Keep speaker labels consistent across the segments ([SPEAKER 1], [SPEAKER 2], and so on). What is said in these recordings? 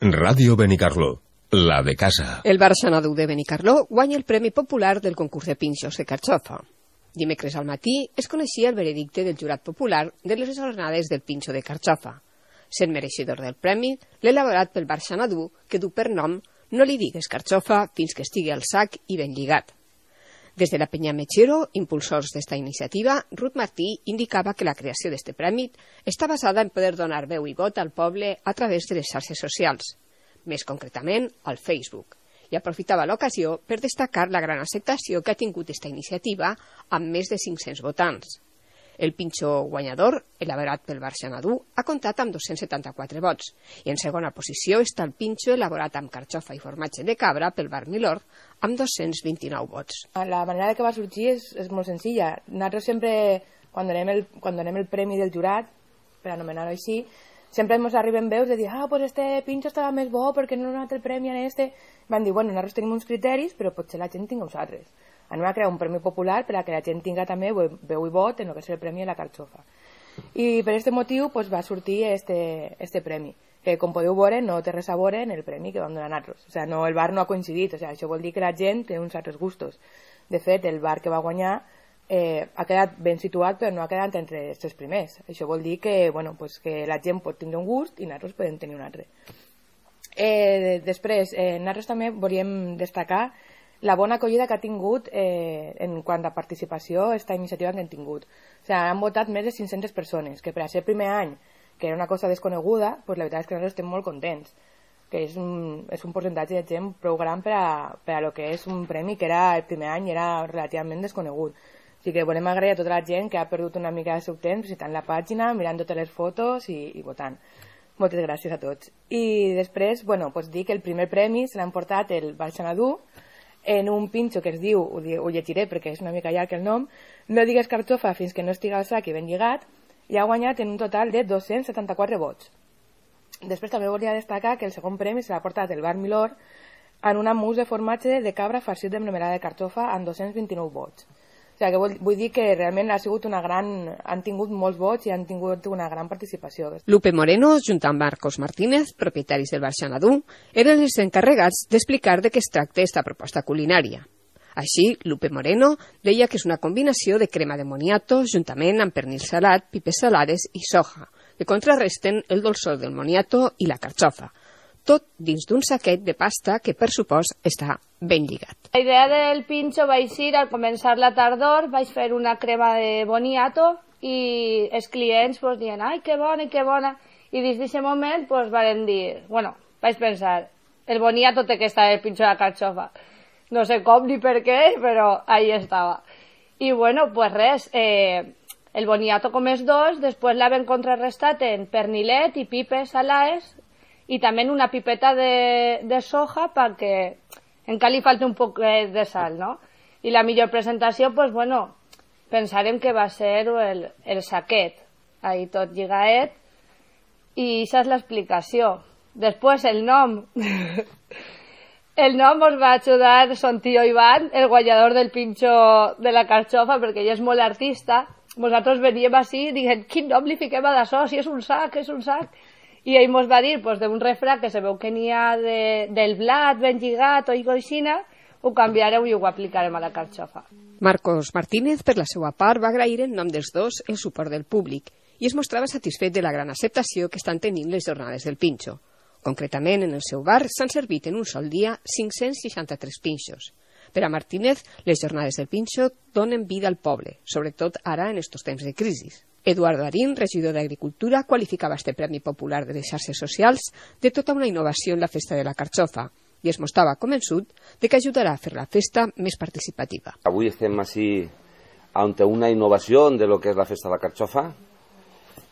[SPEAKER 1] Ràdio Benicarló, la de casa.
[SPEAKER 2] El bar Xanadu de Benicarló guanya el Premi Popular del concurs de pinxos de carxofa. Dimecres al matí es coneixia el veredicte del jurat popular de les jornades del pinxo de carxofa. Sent mereixedor del premi, l'elaborat pel bar Xanadu, que du per nom "No li digues carxofa fins que estigui al sac i ben lligat". Des de la Penya Mechero, impulsors d'esta iniciativa, Ruth Martí indicava que la creació d'este premi està basada en poder donar veu i vot al poble a través de les xarxes socials, més concretament al Facebook, i aprofitava l'ocasió per destacar la gran acceptació que ha tingut esta iniciativa amb més de 500 votants. El pinxo guanyador, elaborat pel bar Xanadu, ha comptat amb 274 vots, i en segona posició està el pinxo elaborat amb carxofa i formatge de cabra pel bar Milord, amb 229 vots.
[SPEAKER 3] La manera que va sorgir és molt senzilla. Nosaltres sempre, quan donem el premi del jurat, per anomenar-ho així, sempre ens arriben veus de dir pues este pinxo estava més bo perquè no ha donat el premi a este. Van dir, bueno, nosaltres tenim uns criteris, però potser la gent tinga uns altres. Anem a crear un premi popular per a que la gent tinga també veu i vot en el que és el premi de la carxofa. I per aquest motiu va sortir este premi, que com podeu veure no té res a veure en el premi que vam donar nosaltres. O sigui, el bar no ha coincidit, això vol dir que la gent té uns altres gustos. De fet, el bar que va guanyar ha quedat ben situat, però no ha quedat entre els tres primers. Això vol dir que, que la gent pot tenir un gust i nosaltres podem tenir un altre. Després, nosaltres també volíem destacar la bona acollida que ha tingut en quant a participació aquesta iniciativa que hem tingut. O sigui, han votat més de 500 persones, que per a ser el primer any, que era una cosa desconeguda, la veritat és que nosaltres estem molt contents, que és un percentatge de gent prou gran per a lo que és un premi que era el primer any era relativament desconegut. O sigui que volem agrair a tota la gent que ha perdut una mica del seu temps visitant la pàgina, mirant totes les fotos i votant. Moltes gràcies a tots. I després, dir que el primer premi se l'han portat el bar Xanadu en un pinxo que es diu, ho llegiré perquè és una mica llarg el nom, "No digues carxofa fins que no estigui al sac i ben lligat", i ha guanyat en un total de 274 vots. Després també volia destacar que el segon premi se l'ha portat el bar Milord en una mousse de formatge de cabra farcit de melmelada de carxofa amb 229 vots. O sigui, que vull dir que realment han tingut molts vots i han tingut una gran participació.
[SPEAKER 2] Lupe Moreno, junt amb Marcos Martínez, propietaris del bar Xanadu, eren els encarregats d'explicar de què es tracta esta proposta culinària. Així, Lupe Moreno deia que és una combinació de crema de moniato juntament amb pernil salat, pipes salades i soja, que contrarresten el dolçor del moniato i la carxofa, tot dins d'un saquet de pasta que, per supost, està ben lligat.
[SPEAKER 4] La idea del pinxo vaig ser, al començar la tardor, vaig fer una crema de boniato i els clients diuen, ai, que bona, que bona. I des d'aquest moment varen dir, vaig pensar, el boniato té que estar el pinxo de la carxofa. No sé com ni per què, però ahí estava. I res, el boniato com és dos, després l'havem contrarrestat en pernilet i pipes salades i també una pipeta de soja perquè encara li falta un poc de sal, no? I la millor presentació, pensarem que va ser el saquet, ahí tot lligaet, i això és l'explicació. Després el nom. El nom ens va ajudar son tío Iván, el guanyador del pinxo de la carxofa, perquè ell és molt artista. Nosaltres veníem així i diguem, quin nom li fiquem a d'això, si és un sac, és un sac. I ell ens va dir d'un refrà que se veu que n'hi ha del blat ben lligat o aixina, ho canviarem i ho aplicarem a la carxofa.
[SPEAKER 2] Marcos Martínez, per la seva part, va agrair en nom dels dos el suport del públic i es mostrava satisfet de la gran acceptació que estan tenint les jornades del pinxo. Concretament, en el seu bar s'han servit en un sol dia 563 pinxos. Per a Martínez, les jornades del pinxo donen vida al poble, sobretot ara en estos temps de crisi. Eduardo Arín, regidor d'Agricultura, qualificava este Premi Popular de les xarxes socials de tota una innovació en la festa de la carxofa i es mostrava convençut de que ajudarà a fer la festa més participativa.
[SPEAKER 5] Avui estem així ante una innovació de lo que és la festa de la carxofa.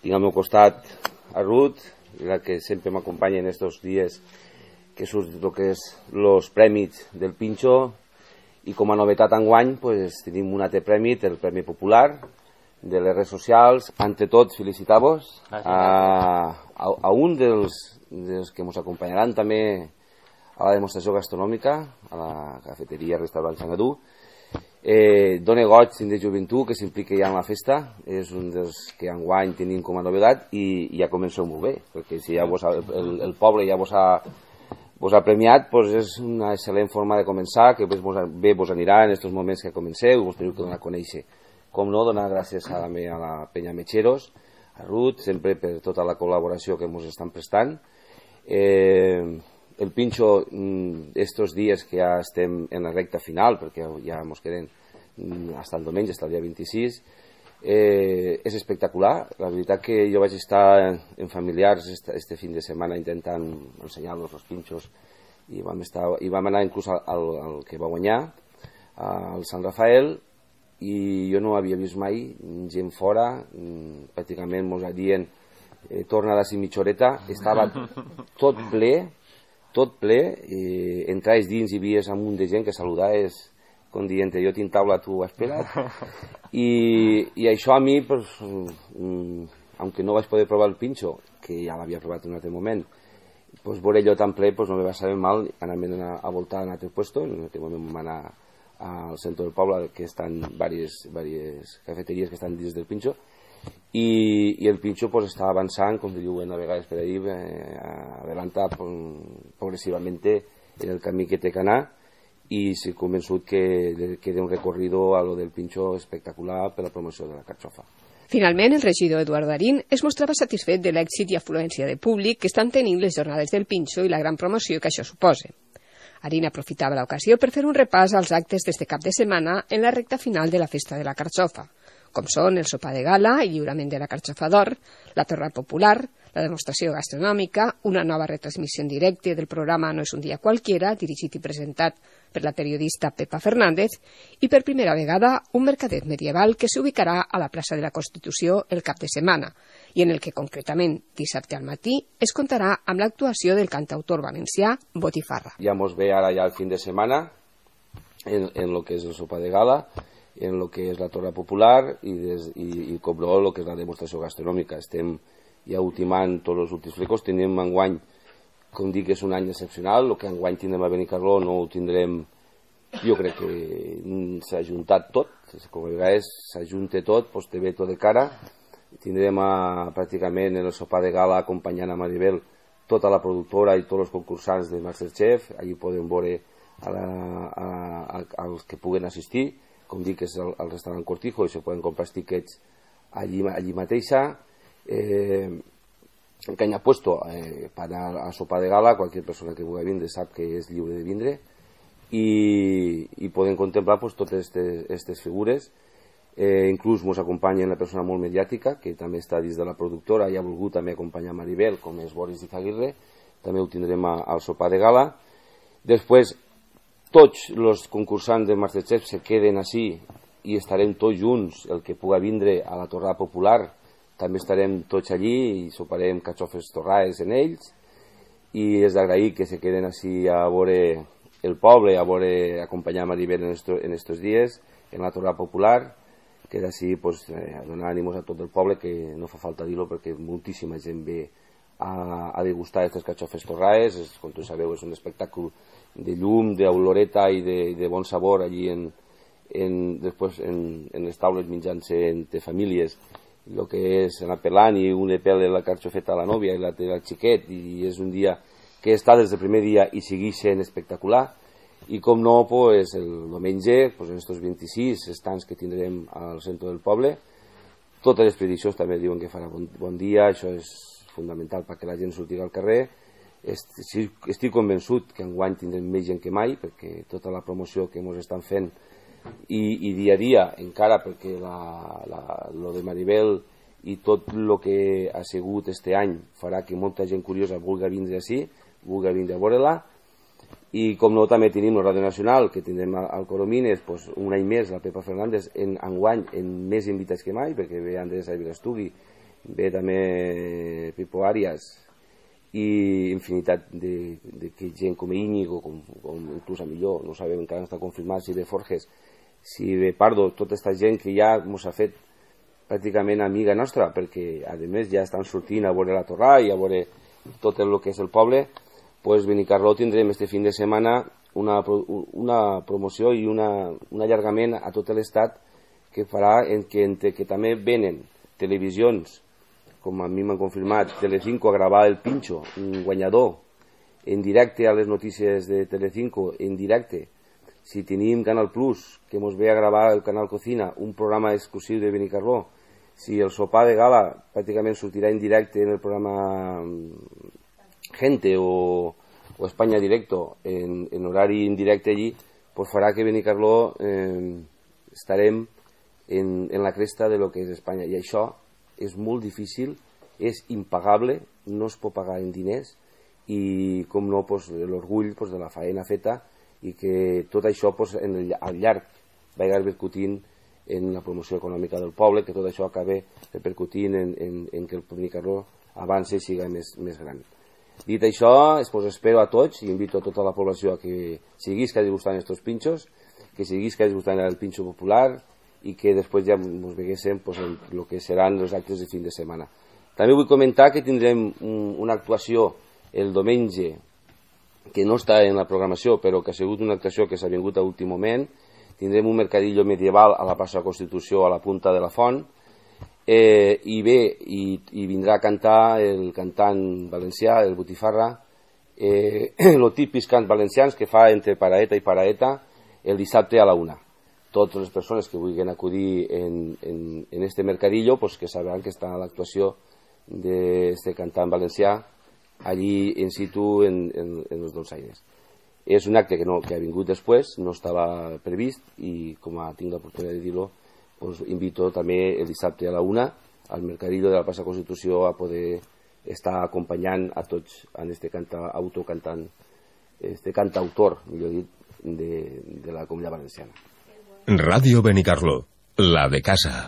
[SPEAKER 5] Tinc al meu costat a Ruth, la que sempre m'acompanya en estos dies que surt el que és los premis del pinxo, i com a novetat enguany tenim un altre premi, el Premi Popular de les redes socials. Ante tot, felicitar-vos a un dels que ens acompanyaran també a la demostració gastronòmica, a la cafeteria Restaurant Xanadu. Dona goig de joventut que s'implica ja en la festa, és un dels que enguany tenim com a novedat i ja comenceu molt bé, perquè si ja el poble ja vos ha premiat, doncs és una excel·lent forma de començar, que bé vos anirà en aquests moments que comenceu, vos teniu que donar a conèixer. Com no, donar gràcies a la penya Metxeros, a Ruth, sempre per tota la col·laboració que ens estan prestant. El pinxo, estos dies que ja estem en la recta final, perquè ja ens queden fins el diumenge, fins el dia 26, és espectacular. La veritat que jo vaig estar en familiars este fin de setmana intentant ensenyar-los els pinxos i vam anar inclús al que va guanyar, al Sant Rafael, i jo no havia vist mai gent fora, pràcticament mos dient torna a la mitja horeta, estava tot ple, entraves dins i vies un munt de gent que saludaves com dient jo tinc taula, tu espera't, i això a mi, aunque no vaig poder provar el pinxo, que ja l'havia provat en un altre moment, veure allò tan ple no me va saber mal anar a voltar a un altre puesto. En un altre moment vam anar al centre del poble, que estan diverses cafeteries que estan dins del pinxo, i el pinxo està avançant, com diuen a vegades per ahí, adelanta progressivamente en el camí que té que anar, i estic convençut que queda un recorrido a lo del pinxo espectacular per la promoció de la carxofa.
[SPEAKER 2] Finalment, el regidor Eduard Darín es mostrava satisfet de l'èxit i afluència de públic que estan tenint les jornades del pinxo i la gran promoció que això suposa. Darín aprofitava l'ocasió per fer un repàs als actes d'este cap de setmana en la recta final de la festa de la carxofa, com són el sopar de gala, el lliurament de la carxofa d'or, la torra popular, la demostració gastronòmica, una nova retransmissió en directe del programa No és un dia qualquiera, dirigit i presentat per la periodista Pepa Fernández, i per primera vegada un mercadet medieval que s'ubicarà a la plaça de la Constitució el cap de setmana, i en el que concretament dissabte al matí es contarà amb l'actuació del cantautor valencià Botifarra.
[SPEAKER 5] Ja mos ve ara ja el fin de setmana en lo que és el sopar de gala, en lo que és la torra popular i com no, lo que és la demostració gastronòmica. Estem ja ultimant tots els últims flecos. Tenim enguany, com dic, és un any excepcional. El que enguany tindrem a Benicarló no ho tindrem, jo crec que s'ha juntat tot, com a vegades s'ajunta tot, doncs te ve tot de cara. Tindrem pràcticament en el sopar de gala acompanyant a Maribel tota la productora i tots els concursants de Masterchef. Allí podem veure als que puguen assistir, com dic, és el restaurant Cortijo, i se poden comprar tiquets allí mateixa. Que haya puesto para a sopar de gala, cualquier persona que vulgui vindre sap que és lliure de vindre, i poden contemplar pues, totes aquestes figures. Inclús ens acompanya una persona molt mediàtica que també està dins de la productora i ha volgut també acompanyar Maribel, com és Boris Izaguirre. També ho tindrem al sopar de gala. Després tots els concursants de Masterchef se queden així i estarem tots junts, el que pugui vindre a la torrada popular també estarem tots allí i soparem carxofes torrades en ells, i és d'agrair que se queden així a veure el poble, a veure acompanyar Maribel en estos dies en la torrada popular, que d'ací pues, donar ànimos a tot el poble, que no fa falta dir-ho perquè moltíssima gent ve a degustar aquestes carxofes torrades. Com tu sabeu, és un espectacle de llum, d'oloreta i de bon sabor allí després en les taules menjant-se entre famílies, el que és anar pelant, i un li pela la carxofeta a la nòvia i l'altre al xiquet, i és un dia que està des del primer dia i segueix sent espectacular. I com no, pues, el diumenge, pues, en aquests 26 estants que tindrem al centre del poble, totes les prediccions també diuen que farà bon dia. Això és fundamental perquè la gent surti al carrer. Estic convençut que enguany tindrem més gent que mai, perquè tota la promoció que ens estan fent i dia a dia encara, perquè lo de Maribel i tot el que ha sigut este any farà que molta gent curiosa vulgui vindre així, vulgui vindre a veure-la. I com no, també tenim la Ràdio Nacional, que tindrem al Coromines, pues, un any més, la Pepa Fernández, enguany en més invitats que mai, perquè ve Andrés Avilastugui, ve també Pipo Arias, i infinitat de gent com Íñigo, com inclús a millor, no sabem, encara no està confirmat si ve Forges, si ve Pardo, tota aquesta gent que ja ens ha fet pràcticament amiga nostra, perquè a més ja estan sortint a veure la torrada i a veure tot el que és el poble. Pues Benicarló tindrem este fin de setmana una promoció i un allargament a tot l'estat que farà que també venen televisions, com a mi m'han confirmat, Telecinco a gravar el Pinxo, un guanyador, en directe a les notícies de Telecinco, en directe. Si tenim Canal Plus, que ens ve a gravar el Canal Cocina, un programa exclusiu de Benicarló, si el sopar de gala pràcticament sortirà en directe en el programa Gente o España Directo, en horari indirecte allí, pues farà que Benicarló estarem en la cresta de lo que és Espanya. I això és molt difícil, és impagable, no es pot pagar en diners, i com no, pues, l'orgull pues, de la faena feta, i que tot això pues, al llarg va repercutint en la promoció econòmica del poble, que tot això acabe repercutint en que el Benicarló avance i siga més gran. Dit això, pues, espero a tots i invito a tota la població a que seguís que hagi gustant estos pinxos, que seguís que hagi gustant el pinxo popular i que després ja ens veguéssim pues, en el que seran els actes de fin de setmana. També vull comentar que tindrem una actuació el diumenge que no està en la programació, però que ha sigut una actuació que s'ha vingut a últim moment. Tindrem un mercadillo medieval a la plaça Constitució, a la Punta de la Font, i vindrà a cantar el cantant valencià, el Botifarra, el típics cants valencians que fa entre paraeta i paraeta el dissabte a la 1. Totes les persones que vulguin acudir en este mercadillo, pues que sabran que està l'actuació d'este cantant valencià allí in situ en els Dolçaines. És un acte que ha vingut després, no estava previst, i com tinc l'oportunitat de dir-lo, pues invito també el dissabte a la 1 al mercadillo de la plaça Constitució a poder estar acompanyant a tots en este cantautor, millor dit, de la Comunitat Valenciana.
[SPEAKER 1] Ràdio Benicarló, la de casa.